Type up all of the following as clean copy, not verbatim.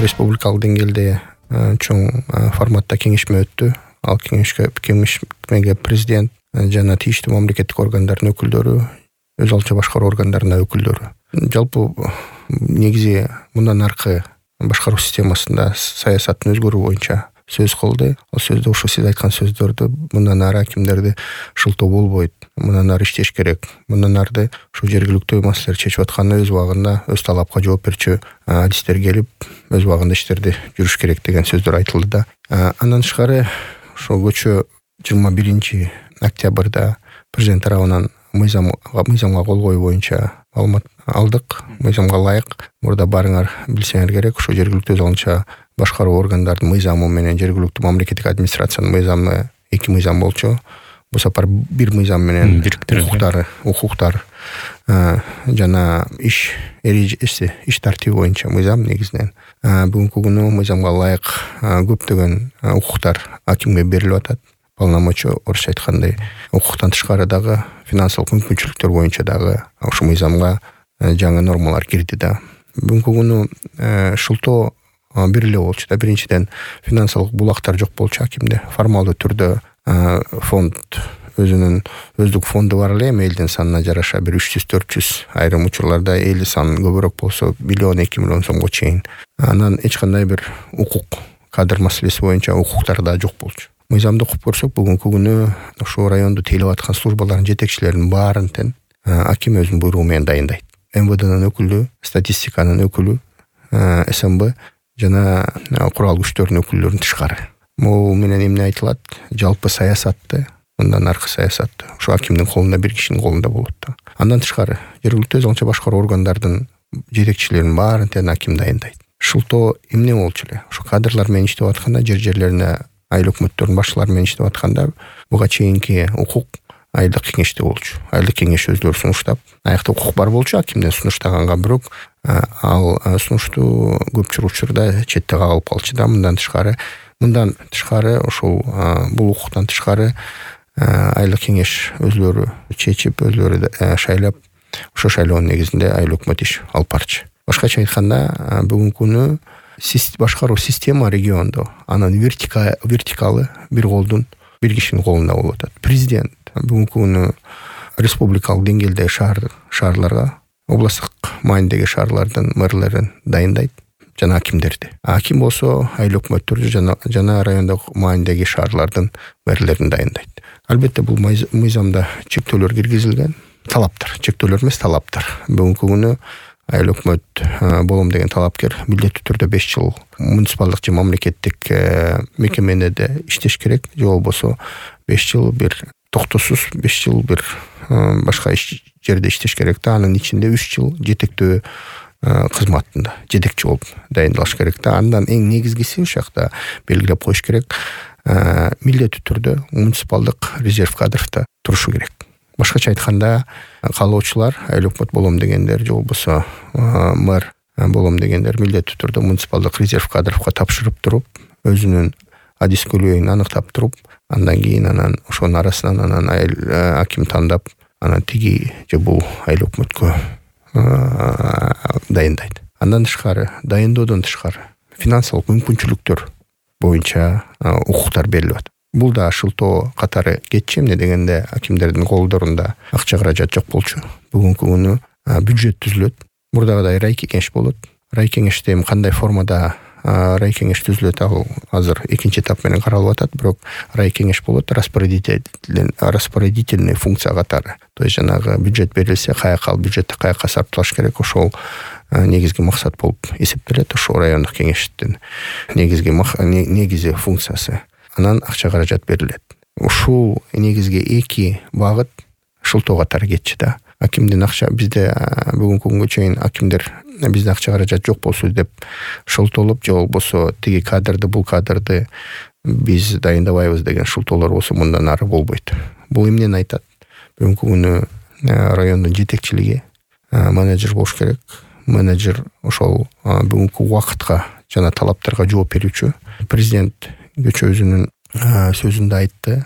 республикалык деңгээлде чоң форматта кеңешме өттү. Ал кеңешмеге президент жана тийиштүү мамлекеттик органдардын өкүлдөрү, өз алдынча башкаруу органдарынын өкүлдөрү. Жалпы негизи мындан аркы башкаруу системасында саясаттын өзгөрүү боюнча сөз кылды. Ал сөздө ошо сиз айткан сөздөрдү мындан ары акимдерди шылтоо болбойт, мындан ары иштеш керек, мындан арды ушу жергиликтүү маселелер чечип атканда өз убагында өз талапка жооп берчү адистер келип өз убагында иштерди жүрүш керек деген сөздөр айтылды да. Андан тышкары ошо көчө 21 октябрда президент тарабынан мыйзамга кол коюу боюнча маалымат алдык. Мыйзамга ылайык мурда барыңар билсеңер керек, ошо жергиликтүү өз алдынча башкаруу органдардын мыйзамы менен жергиликтүү мамлекеттик администрациянын мыйзамы 2 мыйзам болчу. Бул сапар бир мыйзам менен укуктар жана иш эрежеси, иш тартиби боюнча мыйзам негизинен. Бүгүнкү күнү мыйзамга ылайык көптөгөн укуктар акимге берилип атат. Полномочия, орусча айткандай, укуктан тышкары дагы финансылык мүмкүнчүлүктөр боюнча дагы ошол мыйзамга жаңы нормалар кирди да. Бүгүнкү күнү шылтоо бир эле болчу да. Биринчиден финансылык булактар жок болчу акимде. Формалдуу түрдө фонд өзүнүн өздүк фонду бар эле, элдин санына жараша бир 300-400, айрым учурларда эли саны көбүрөөк болсо 1-2 миллион сомго чейин. Анан эч кандай бир укук, кадр маселеси боюнча укуктар да жок болчу. Мыйзамды окуп көрсөк, бүгүнкү күнү ошо райондо тейлеп аткан службалардын жетекчилеринин баарын тең аким өзүнүн буйругу менен дайындайт. МВДнын өкүлү, статистиканын өкүлү, СМБ жана курал күчтөрдүн өкүлдөрүнүн тышкары. Могу менен эмне айтылат? Жалпы саясатты, мындан аркы саясатты ошо акимдин колунда, бир кишинин колунда болот да. Андан тышкары жергиликтүү өз алдынча башкаруу органдардын жетекчилеринин баарын тең аким дайындайт. Шылтоо эмне болчу эле? Ошо кадрлар менен иштеп атканда, жерлерине айыл өкмөттөрдүн башчылары менен иштеп атканда буга чейинки укук айылдык кеңеште болчу. Айылдык кеңеш өздөрү сунуштап, аякта укук бар болчу акимден сунуштаганга, бирок ал сунушту көпчүлүк учурда четте кагылып калчу да. Мындан тышкары ошол бул укуктан тышкары айылдык кеңеш өзлөрү чечип, өзлөрү шайлап, ошо шайлоонун негизинде айыл өкмөт иш алып барчу. Башкача айтканда, бүгүнкү күнү башкаруу система региондо анын вертикалы бир колдун, бир кишинин колунда болуп атат. Президент бүгүнкү күнү республикалык деңгээлде шаарларга, областтык маанидеги шаарлардын мэрлерин дайындайт жана акимдерди. Аким болсо айыл өкмөттөрдү жана райондук маанидеги шаарлардын мэрлерин дайындайт. Албетте бул мыйзамда чектөөлөр киргизилген. Талаптар, чектөөлөр эмес, талаптар. Бүгүнкү күнү айыл өкмөт болом деген талапкер милдеттүү түрдө 5 жыл муниципалдык же мамлекеттик мекемеде иштеш керек, же болбосо 5 жыл бир токтосуз 5 жыл бир башка жерде иштеш керек да. Анын ичинде 3 жыл жетектөө кызматында жетекчи болуп дайындалыш керек да. Андан эң негизгиси ушул жакта белгилеп коюш керек, милдеттүү түрдө муниципалдык резерв кадрда турушу керек. Башкача айтканда, каалоочулар, айыл өкмөт болом дегендер, же болбосо мэр болом дегендер милдеттүү түрдө муниципалдык резерв кадрга тапшырып туруп, өзүнүн адис көйлөйүн аныктап туруп, андан кийин ошонун арасынан аким тандап, анан тиги же бул айыл өкмөткө дайындайт. Андан тышкары, дайындоодон тышкары финансылык мүмкүнчүлүктөр боюнча укуктар берилип атат. Бул да шылтоо катары кетчү. Эмне дегенде, акимдердин колдорунда акча каражат жок болчу. Бүгүнкү күнү бюджет түзүлөт. Мурдагыдай рай кеңеш болот. Рай кеңеште кандай формада рай кеңеш түзүлөт, ал азыр экинчи этап менен каралып атат, бирок рай кеңеш болот, распорядительный функция катары. То есть жанагы бюджет берилсе, каяка ал бюджетти каяка сарпталыш керек, ошол негизги максат болуп эсептелет. Ошол райондук кеңештин негизи функциясы. Анан акча каражат берилет. Ушул негизги 2 багыт шылтоо катары кетчү да. Акимдин акча бизде бүгүнкү күнгө чейин акимдер бизде акча каражат жок болсу деп шылтоолоп, же болбосо тиги кадрды, бул кадрды биз дайындабайбыз деген шылтоолор болсо мындан ары болбойт. Бул эмнени айтат? Бүгүнкү күнү райондун жетекчилиги менеджер болуш керек. Менеджер ошол бүгүнкү убакытка жана талаптарга жооп берүүчү. Президент көчө өзүнүн сөзүндө айтты.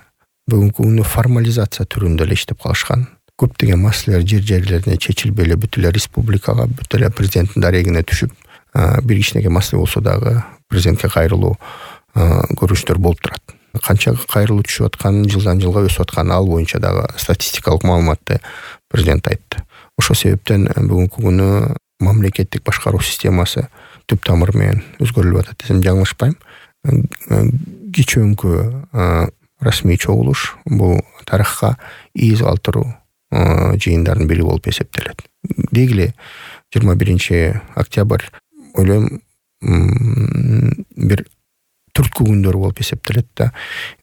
Бүгүнкү күнү формализация түрүндө эле иштеп калышкан. Көптөгөн маселелер жерлерине чечилбей эле бүт эле республикага, бүт эле президенттин дарегине түшүп, бир кичинекей маселе болсо дагы президентке кайрылуу көрүнүштөр болуп турат. Канча кайрылуу түшүп атканын, жылдан жылга өсүп атканын ал боюнча дагы статистикалык маалыматты президент айтты. Ошол себептен бүгүнкү күнү мамлекеттик башкаруу системасы түп тамыры менен өзгөрүлүп атат десем жаңылышпайм. Кечөөнкү расмий чогулуш бул тарыхка из калтыруу жыйындардын бири болуп эсептелет. Деги 21 октябрь ойлойм бир түрткү күндөр болуп эсептелет да.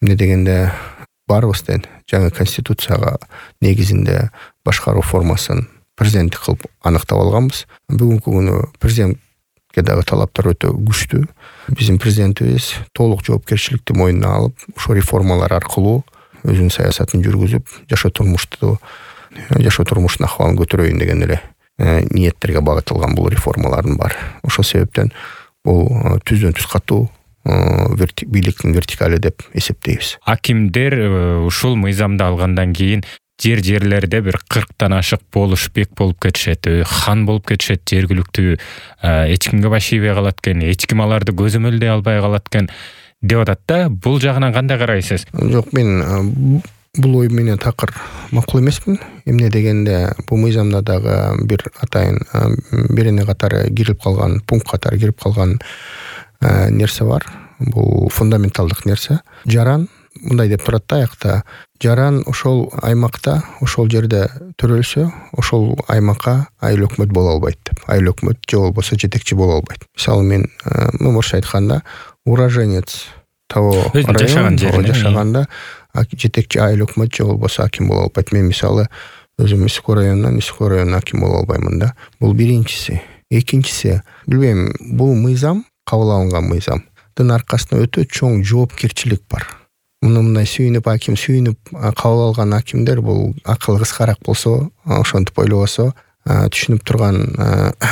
Эмне дегенде баарыбыз тең жаңы конституцияга негизинде башкаруу формасын президенттик кылып аныктап алганбыз. Бүгүнкү күнү президентке дагы талаптар өтө күчтүү. Биздин президентибиз толук жоопкерчиликти мойнуна алып, ошо реформалар аркылуу өзүнүн саясатын жүргүзүп, жашоо турмуштун акыбалын көтөрөйүн деген эле ниеттерге багытылган бул реформалардын баары. Ошол себептен бул түздөн түз катуу бийликтин вертикали деп эсептейбиз. Акимдер ушул мыйзамды алгандан кийин жерлерде бир 40тан ашык болуш бек болуп кетишет, хан болуп кетишет, жергиликтүү эч кимге баш ийбей калат экен, эч ким аларды көзөмөлдөй албай калат экен деп атат да. Бул жагынан кандай карайсыз? Жок, мен бул ой менен такыр макул эмесмин. Эмне дегенде бул мыйзамда дагы бир атайын берене катары кирип калган, пункт катары кирип калган нерсе бар. Бул фундаменталдык нерсе. Жаран мындай деп турат да аякта. Жаран ошол аймакта, ошол жерде төрөлсө, ошол аймакка айыл өкмөт боло албайт деп. Айыл өкмөт же болбосо жетекчи боло албайт. Мисалы мен орусча айтканда уроженец того района жашаганда жетекчи айыл өкмөт же болбосо аким боло албайт. Мен мисалы өзүм Исыкөл районунан аким боло албаймын да. Бул биринчиси. Экинчиси, билбейм, бул мыйзам, кабыл алынган мыйзамдын аркасында өтө чоң жоопкерчилик бар. Мындай сүйүнүп кабыл алган акимдер бул акылы кыскараак болсо, ошентип ойлобосо, түшүнүп турган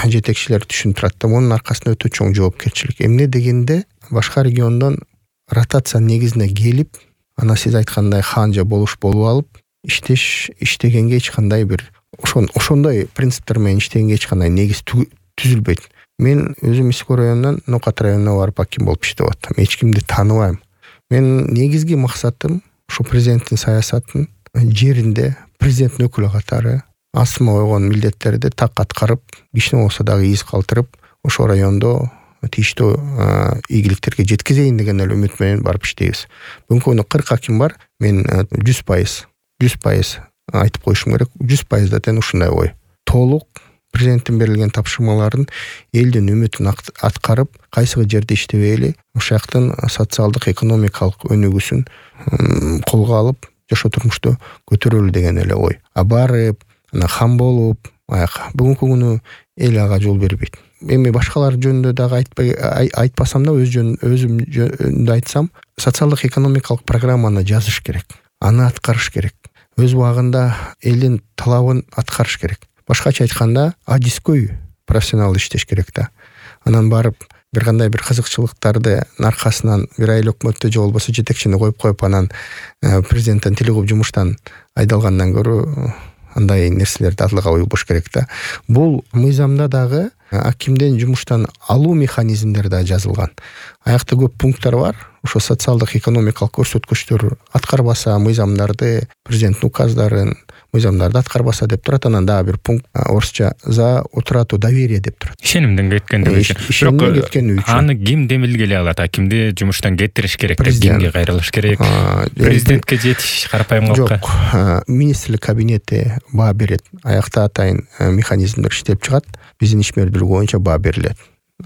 жетекчилер түшүнүп турат да. Мунун аркасында өтө чоң жоопкерчилик. Эмне дегенде башка региондон ротация негизинде келип, анан сиз айткандай хан же болуш болуп алып, иштегенге эч кандай бир ошондой принциптер менен иштегенге эч кандай негиз түзүлбөйт. Мен өзүм Исыкөл районунан Нокат районуна барып аким болуп иштеп аттым. Эч кимди тааныбайм. Мен негизги максатым ушу президенттин саясатын жеринде президенттин өкүлү катары астыма койгон милдеттерди так аткарып, кичине болсо дагы из калтырып, ошо райондо тийиштүү ийгиликтерге жеткизейин деген эле үмүт менен барып иштейбиз. Бүгүнкү күнү 40 аким бар. Мен 100% айтып коюшум керек. 100% да тең ушундай ой. Толук президенттин берилген тапшырмаларын элдин үмүтүн аткарып, кайсыгы жерде иштебейли, ошол жактын социалдык, экономикалык өнүгүүсүн колго алып, жашоо турмушту көтөрөлү деген эле ой. Барып, хан болуп, бүгүнкү күнү эл ага жол бербейт. Эми башкалар жөнүндө дагы айтпасам да, өзүм жөнүндө айтсам, социалдык, экономикалык программаны жазыш керек. Аны аткарыш керек. Өз убагында элдин талабын аткарыш керек. Башкача айтканда, адискөй профессионал иштеш керек да. Анан барып, бир кандай бир кызыкчылыктарды аркасынан бир айыл өкмөттү же болбосо жетекчини коюп, анан президенттен тил угуп жумуштан айдалгандан көрө андай нерселерди адлыга уйгуш керек да. Бул мыйзамда дагы акимден жумуштан алуу механизмдери да жазылган. Аякта көп пункттар бар. Ошо социалдык, экономикалык көрсөткүчтөр аткарбаса мыйзамдарды, президенттин указдарын, мыйзамдарды аткарбаса деп турат. Анан дагы бир пункт орусча за утрату доверия деп турат. Ишенимден кеткендиги үчүн. Аны ким демилгелей алат? Акимди жумуштан кетириш керек деп кимге кайрылыш керек? Президентке жетиш карапайым калкка. Жок, министрлик кабинети баа берет. Аякта атайын механизмдер иштеп чыгат. Биздин ишмердүүлүк боюнча баа берилет.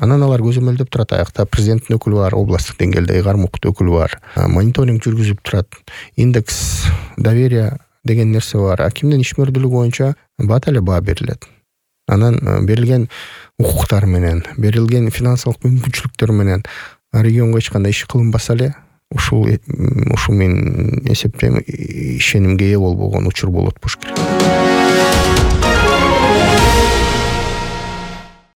Анан алар көзөмөлдөп турат. Аякта президенттин өкүлү бар, областтык деңгээлде кармоктуу өкүлү бар. Мониторинг жүргүзүп турат. Индекс доверия деген нерсе бар. Акимдин ишмердүүлүгү боюнча бат эле баа берилет. Анан берилген укуктар менен, берилген финансылык мүмкүнчүлүктөр менен регионго эч кандай иш кылынбаса эле, ушул мен эсептейм ишенимге ээ болбогон учур болот болуш керек.